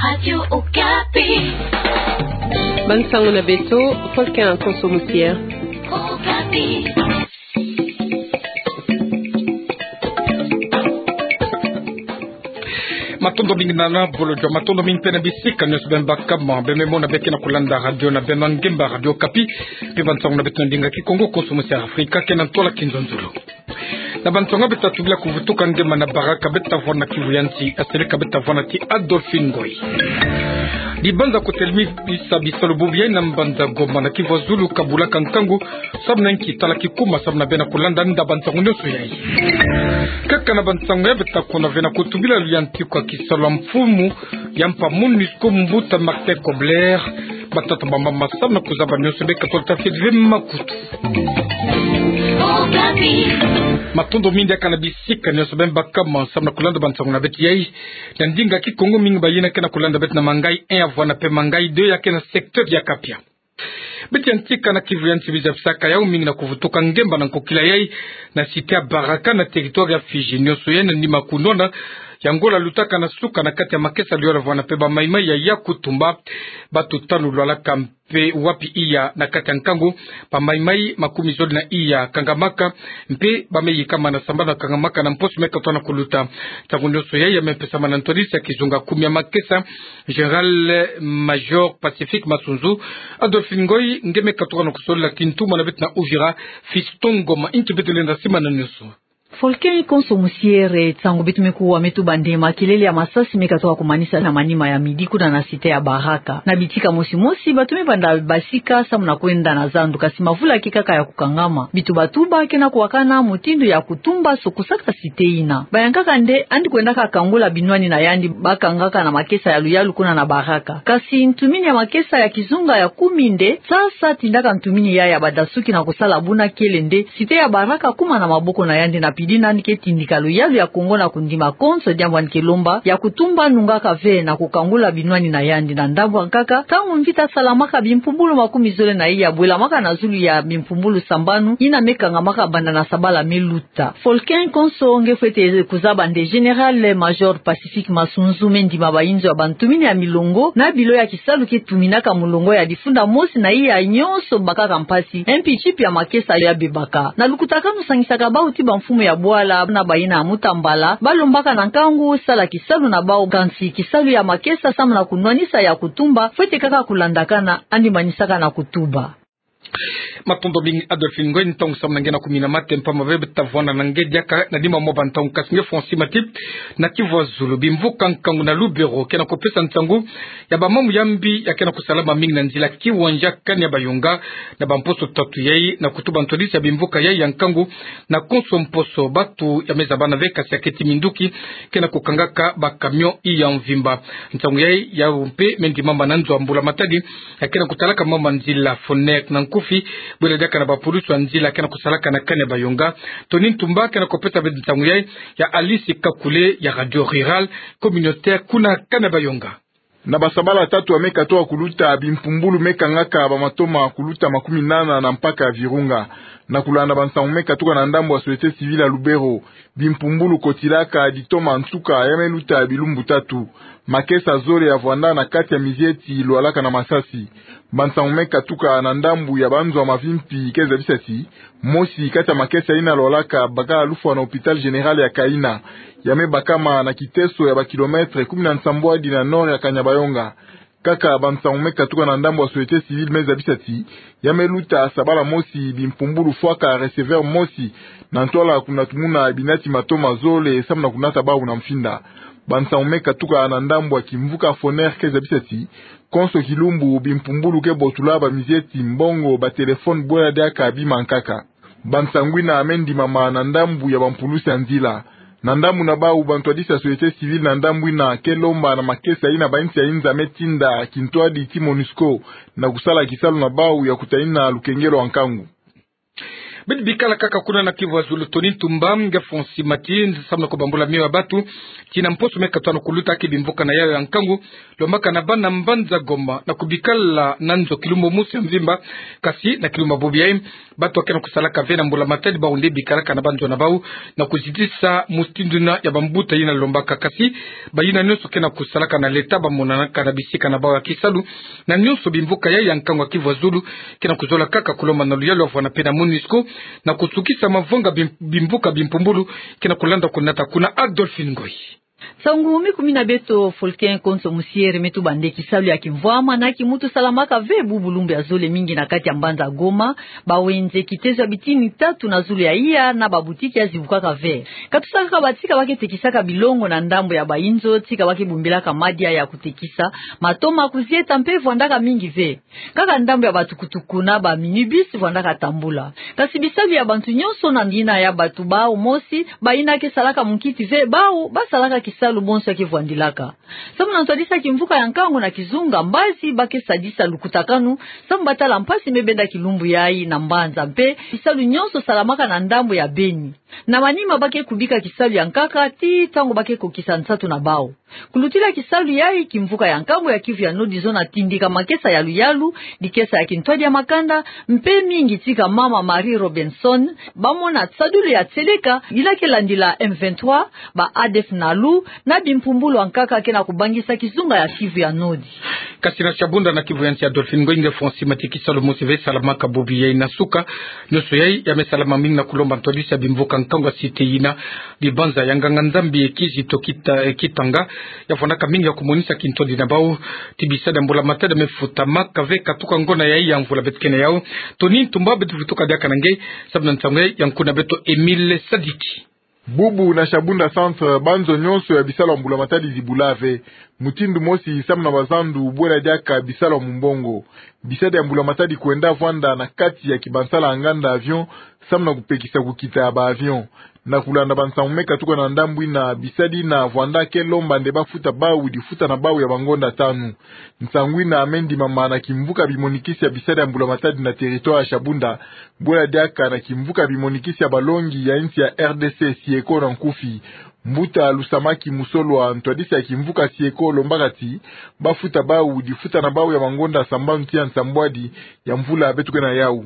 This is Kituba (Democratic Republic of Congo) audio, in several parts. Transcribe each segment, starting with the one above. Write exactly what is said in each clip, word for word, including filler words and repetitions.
Radio Okapi. Bansango na beto, Volcan Konso Musier. Okapi. Matondo mingi na, na bolojo, matondo mingi mpe na bisika nyonso beno baka ma, beno mona beno ke na kulanda radio na beno ya ngemba Radio Okapi, mpe bansango na beto na ndinga Kikongo, Konso Musier Afrika, ke na ntwala Kinzonzolo. Na bansango beto ta tubila kuvutuka ngemba na baraka, beto ta vwanda na Kivu ya nsi, asereka beto ta vwanda ti Adolphine Ngoy. Dibanza kotele mi bisa bisalu bubu yai na mbanza Goma na Kivu ya Zulu ka bulaka nkangu, samu na nki tala kikuma, samu na beno kulanda nda bansango nyonso yai. Kaka na bansango yai beto ta kona ve na kotubila luyantika kisalu ya mfumu ya mpa MONUSCO mbuta Martin Kobler, batata, bamama, samu na kuzaba nyonso beka tolo tafeti ve makutu. Matondo mingi diaka na bisika nyonso beno baka ma, samu na kulanda bansango na beto yai na ndinga Kikongo. Mingi bayina ke na kulanda beto na Mangayi un ya vwanda mpe Mangayi deux ya ke na secteur ya Kapia. Beto yantika na Kivu ya nsi, biza bisaka yau mingi na kuvutuka ngemba na nkokila yai na cité ya Baraka na territoire ya Fidji. Nyonso yai na nima kunwana ya ngola lutaka na suka na kati ya makesa, luyalu ya vwanda mpe bamaimai ya Yakutumba. Bato tanu lwalaka mpe wapi iya na kati ya nkangu, bamaimai makumi zole na iya kangamaka, mpe ba me yikama na sambanu ya kangamaka na mposo me katoa na kuluta. Nsangu nyonso yai ya me pesama na ntwadisi ya kizunga kumi ya makesa, Général-Major Pacifique Masunzu. Adolphine Ngoy, nge me katuka na kusolila kintu mwana beto na Uvira, Fiston Ngoma, nki beto lenda simana nyonso. Volcan Konso Musier, ntangu beto me kuwa me tuba nde makelele ya masasi me katoka kumanisa na manima ya midi kuna na cité ya Baraka. Na bitika mosi mosi, bato me banda basika samu na kwenda na zandu, kasi mavula ke kaka ya kukangama. Bituba tuba ke na kuwakana mutindu ya kutumba so kusaka cité yina. Bayankaka nde yandi kwendaka kangula binwani na yandi bakangaka na makesa ya luyalu kuna na Baraka. Kasi ntumini ya makesa ya kizunga ya kumi nde sasa tindaka ntumini ya ya badasuki na kusala buna kele nde cité ya Baraka kuma na maboko na yandi, na pidi na yandi ke tindika luyalu ya Kongo na kundima konso, diambu yandi ke lomba ya kutumba nungaka ve na kukangula binwani na yandi. Na ndambu ya nkaka, ntangu mvita salamaka, bimpumbulu makumi zole na iya bwelamaka na zulu ya bimpumbulu sambanu yina me kangamaka banda na sabala me luta. Volcan Konso, nge fwete kuzaba nde Général-Major Pacifique Masunzu me ndima bayinzo ya bantumini ya milongo na bilo ya kisalu ke tuminaka mulongo ya difunda mosi na iya nyonso bakaka mpasi, mpi tipi ya makesa ya bebaka. Na lukutakanu sangisaka bawu ti bamfumu ya bwala na bayina ya mutambala, balombaka na nkangu sala kisalu na bawu, kansi kisalu ya makesa samu na kunwanisa ya kutumba fwete kaka kulandakana, yandi manisaka na kutuba. Matondo mingi Adolphine Ngoy, ntangu samu na nge na kumina mate, mpamba bebe ta vwanda na nge diaka na nima mwa bantangu, kasi nge fwa nsi mati na Kivu ya Zulu. Bimvuka nkangu na Lubero ke na kupesa nsangu ya bamambu ya mbi ya ke na kusalama mingi na nzila Kiwanja Kanya Bayonga na bamposo tatu yai, na kutuba ntwadisi ya bimvuka yai ya nkangu na konso mposo. Bato ya me zabana ve, kasi ya keti minduki ke na kukangaka bacamion iya mvimba. Nsangu yai yau mpe me ndimama na nzo ya mbula matadi ya ke na kutalaka mama nzila Fonek na nkufi, bwela diaka na bapulusu ya nzila ke na kusalaka na Kanya Bayonga. Tony Ntumba ke na kupesa ve nsangu yai ya Alice Kakule ya Radio Rurale Communautaire kuna Kanya Bayonga. Na basabala tatu ya me katoka kuluta, bimpumbulu me kangaka bamatoma kuluta makumi nana na mpaka ya Virunga. Na kulanda bansangu me katuka na ndambu ya société civile ya Lubero, bimpumbulu kotilaka ditoma nsuka ya me luta bilumbu tatu. Makesa zole ya vwanda na kati ya mizieti lwalaka na masasi. Bansangu me katuka na ndambu ya banzo ya mavimpi ke zabisa ti mosi kati ya makesa yina lwalaka baka lufwa na hôpital général ya Kaina, ya me bakama na kiteso ya bakilomètre kumi na nsambwadi na nord ya Kanya Bayonga. Kaka bansangu me katuka na ndambu ya société civile me zabisa ti ya me luta sabala mosi bimpumbulu fwaka receveur mosi na ntwala kuna tumuna binati matoma zole samu na kunata bawu na mfinda. Bansangu me katuka na ndambu ya kimvuka Foner ke zabisa ti konso kilumbu bimpumbulu ke botula bamizieti, mbongo, batelefone bwela diaka bima nkaka. Bansangu yina me ndimama na ndambu ya bampulusi ya nzila. Na ndambu na bawu, bantwadisi ya société civile na ndambu yina ke lomba na makesa yina bainsi ya inza me tinda kintwadi ti MONUSCO na kusala kisalu na bawu ya kutayina lukengelo ya nkangu. Beto bikala kaka kuna na Kivu ya Zulu, Tony Ntumba nge Francis Mati, samu na kubambula mio ya batu, tii na mposo me katanu kuluta ki bimvuka na yayo ya nkangu, lombaka na bana mbanza Goma, na kubikala na nzo kilumbu mosi ya mvimba, kasi na kilumbu ya bobo yayi, batu ke na kusalaka ve na mbula matadi bau nde bikalaka na banzo na bau, na kuzitisa mutindu yina ya bambuta yina lombaka, kasi bayina nyonso ke na kusalaka na leta bamonanaka na bisika na bau ya kisalu, na nyonso bimvuka yayi ya nkangu ya Kivu ya Zulu, ke na kuzola kaka kulomba na luyalu ya vwanda mpe na MONUSCO, na kusukisa mavanga bim-, bimvuka bimpumbulu, ke na kulanda kunata kuna Adolphine Ngoyi. Nsangu mi kumi na beto, Folkin Konso Musiere, me tuba nde kisalu ya kimvwama na kimuntu salamaka ve bubu lumbu ya zole mingi na kati ya mbanza Goma, bawenze kitezo ya bitini tatu na zulu ya iya na babutiki ya zibukaka ve. Ka tusa kaka batika ba ke tekisaka bilongo na ndambu ya bayinzo, tika ba ke bombilaka madia ya kutekisa, matoma kuzieta mpe vwandaka mingi ve. Kaka ndambu ya batukutuku na ba minibus vwandaka tambula. Kasi bisalu ya bantu nyonso na yina ya batu bau mosi, bayina ke salaka munkiti ve, bau ba salaka kisalu bonso ya ke vwandilaka. Samu na ntwadisi ya kimvuka ya nkangu na kizunga, mbazi ba ke sadisa lukutakanu, samu ba tala mpasi me benda kilumbu yayi na mbanza mpe bisalu nyonso salamaka na ndambu ya Beni. Na manima ba ke kubika kisalu ya nkaka, tii ntangu ba ke kokisa nsatu na bau. Kulutila kisalu yayi, kimvuka ya nkangu ya Kivu ya Nord zona tindika makesa ya luyalu, dikesa ya kintwadi ya makanda, mpe mingi tika mama Marie Robinson, bamona sadulu ya tieleka, yila ke landila M vingt-trois, ba A D F Nalu, na bimpumbulu ya nkaka ke na kubangisa kizunga ya Kivu ya Nord. Kasi na Shabunda na Kivu ya Nsi, Adolphine Ngoyi nge Francis Mati, kisalu mosi ve salamaka bobo yayi na suka. Nyonso yayi ya me salama mingi na kulomba ntwadisi ya bimvuka nkangu ya site yina, bibanza ya nganga-Nzambi Kizito Kita-, Kitanga, ya vwandaka mingi ya kumonisa kintwadi na bau, tii bisadi ya mbula matadi ya me futamaka ve katuka ngona yayi ya mvula beto ke na yau. Tony Ntumba, beto vutuka diaka na nge, samu na nsangu yayi ya nkuna beto Emile Sadiki. Bubu na Shabunda Centre, banzo nyonso ya bisalu ya mbula matadi zibula ve. Mutindu mosi samu na bazandu, bwela diaka bisalu ya mumbongo. Bisadi ya mbula matadi kwenda vwanda na kati ya kibansala ya nganda avion, samu na kupekisa kukita ya ba avion. Na kulanda bansangu me katuka na ndambu yina, bisadi yina vwanda ke lomba nde ba futa bau difuta na bau ya bangonda tanu. Nsangu yina me ndimama na kimvuka bimonikisi ya bisadi ya mbula matadi na territoire ya Shabunda, bwela diaka na kimvuka bimonikisi ya balongi ya nsi ya R D C, SIECO na nkufi. Mbuta Lusamaki Musolwa, ntwadisi ya kimvuka SIECO, lombaka ti ba futa bau difuta na bau ya mangonda sambanu tii ya nsambwadi ya mvula beto ke na yau.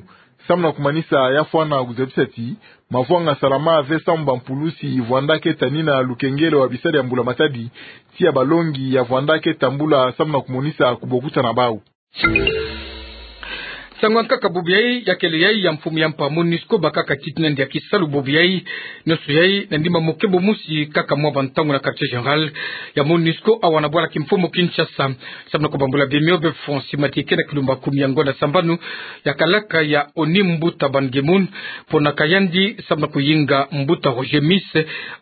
Samu na kumanisa, ya fwana kuzabisa ti mavwanga salama ve samu bampulusi vwanda ke tanina lukengelo ya bisadi ya mbula matadi, tii ya balongi ya vwanda ke tambula samu na kumonisa kubokuta na bau. Nsangu ya nkaka bobo yayi, ya kele yayi ya mfumu ya mpa MONUSCO, bakaka tit'ina ndia kisalu bobo yayi. Nyonso yayi na ndimama mokebo mosi, kaka mwa bantangu na quartier général ya MONUSCO, awa na bwala kimfumu Kinshasa. Samu na kubambula bemio, be Francis Mati, ke na kilumbu ya kumi ya ngonda sambanu ya kalaka ya ONU, mbuta Ban Ki-moon ponaka yandi samu na kuyinga mbuta Roger Miss,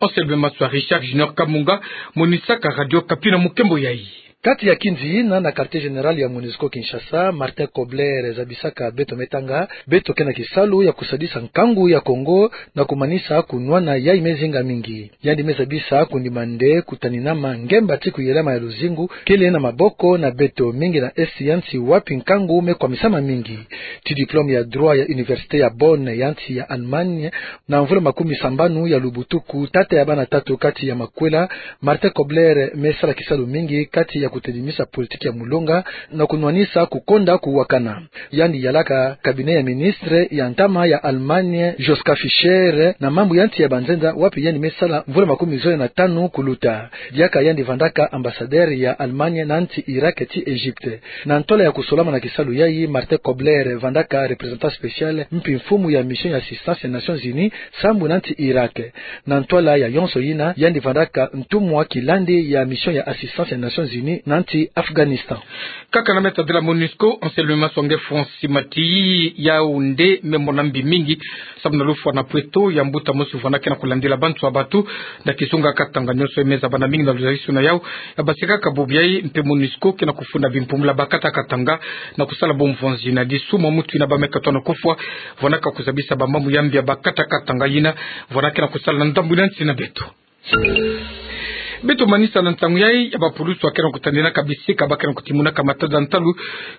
Anselme Maswa, Richard Junior Kamunga, monisaka Radio Okapi na mokembo yayi. Kati ya kinzi yina na quartier général ya MONUSCO Kinshasa, Martin Kobler zabisaka beto me tanga beto ke na kisalu ya kusadisa nkangu ya Kongo na kumanisa kunwana yayi me zinga mingi. Yandi me zabisa kundima nde kutaninama ngemba ti kuyelama ya luzingu kele na maboko na beto mingi na esti ya nsi wapi nkangu me kwamisama mingi. Tii diplôme ya droit ya université ya Bonn ya nsi ya Allemagne, na mvula makumi sambanu ya lubutuku, tata ya bana tatu kati ya makwela, Martin Kobler me sala kisalu mingi kati ya kutedimisa politique ya mulonga na kunwanisa kukonda kuwakana. Yandi yalaka cabinet ya ministre ya ntama ya Allemagne, Joschka Fischer, na mambu ya nsi ya banzenza, wapi yandi me sala mvula makumi zole na tanu kuluta. Diaka yandi vandaka ambassadeur ya Allemagne na nsi Irak tii Egypte. Na ntwala ya kusolama na kisalu yayi, Martin Kobler vandaka représentant spécial mpi mfumu ya mission ya assistance ya Nations Unies sambu na nsi Irak. Na ntwala ya yonso yina, yandi vandaka ntumwa kilandi ya mission ya assistance ya Nations Unies na nsi Afghanistan. Kaka na meta de la MONUSCO, Anselme Maswa nge Francis Mati, yau nde me mona mbi mingi samu na lufwa na pweto ya mbuta mosi vwanda ke na kulandila bantu ya batu na kizunga Katanga. Nyonso me zabana mingi na luzalisu na yau. Ya basi kaka bobo yayi, mpe MONUSCO ke na kufunda bimpumbu ya bakata Katanga na kusala bo mvonzi na disu mwa mutu yina ba me katwa na kufwa, vwanda ka kuzabisa bamambu ya mbi ya bakata Katanga yina vwanda ke na kusala na ndambu yina nsi na beto. Beto manisa na nsangu yai ya bapulusi ya ke na kutandinaka bisika ba ke na kutimunaka matadi ya ntalu,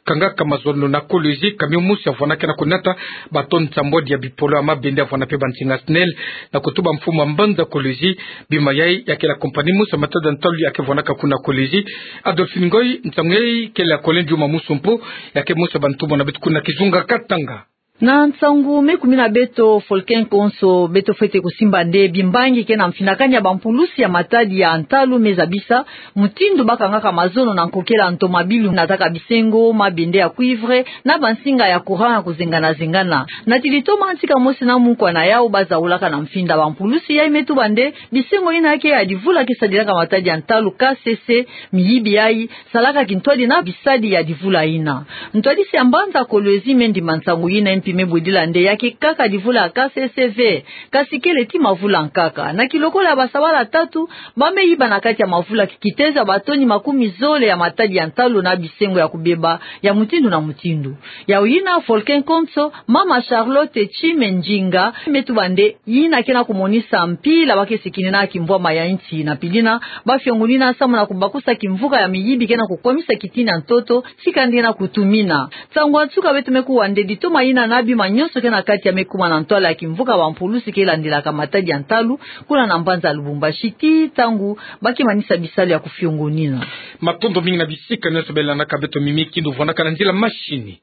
kangaka mazono na Kolwezi, camion mosi ya vwandaka na kunata bato nsambwadi ya bipolo ya mabende ya vwanda pe bansinga SNEL, na kutuba mfumu ya mbanza Kolwezi. Bima yai ya ke la compagnie mosi ya matadi ya ntalu ya ke vwandaka kuna Kolwezi. Adolphine Ngoy, nsangu yai kele ya Colin Juma Musumpu, ya ke mosi ya bantumwa na beto kuna Kizunga Katanga. Na nsangu me kumi na beto, Folkin Konso, beto fwete kusimba nde bimbangi ke na mfinakani ya bampulusi ya matadi ya ntalu me zabisa mutindu ba kangaka mazono na nkokela ntomabilu, nataka bisengo, mabende ya cuivre, na bansinga ya courant ya kuzengana-zengana. Natili toma ntika mosi na mukwa na yau ba zaulaka na mfinda bampulusi yai me tuba nde bisengo yina ya ke ya divula ke sadilaka matadi ya ntalu K C C, miyibi yai salaka kintwadi na bisadi ya divula yina. Ntwadisi ya mbanza Kolwezi me ndima nsangu yina, mpi me bwedila nde ya ke kaka divula ya K C C ve, kasi kele ti mavula nkaka. Na kilokola ya basabala tatu, ba me yiba na kati ya mavula kitezo ya batoni makumi zole ya matadi ya ntalu na bisengo ya kubeba ya mutindu na mutindu. Yau yina, Folkin Konso, mama Charlotte Tshime Ndjinga, me tuba nde yina ke na kumonisa mpila ba ke sikini na kimvwama ya nsi, na pili yina ba fiongunina samu na kubakusa kimvuka ya miyibi ke na kukwamisa kitini ya ntoto, tika nde na kutumina. Nsangu ya nsuka beto me kuwa nde ditoma yina na bima nyonso ke na kati ya me kuma na ntwala ya kimvuka bampulusi ke landilaka matadi ya ntalu, kuna na mbanza Lubumbashi, ti ntangu ba ke manisa bisalu ya kufiongunina. Matondo mingi na bisika nyonso beno landaka beto, Mimi Kindu vwandaka na nzila machine.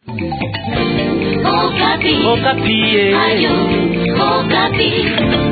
Okapi. Okapi, eh. Ayo, Okapi.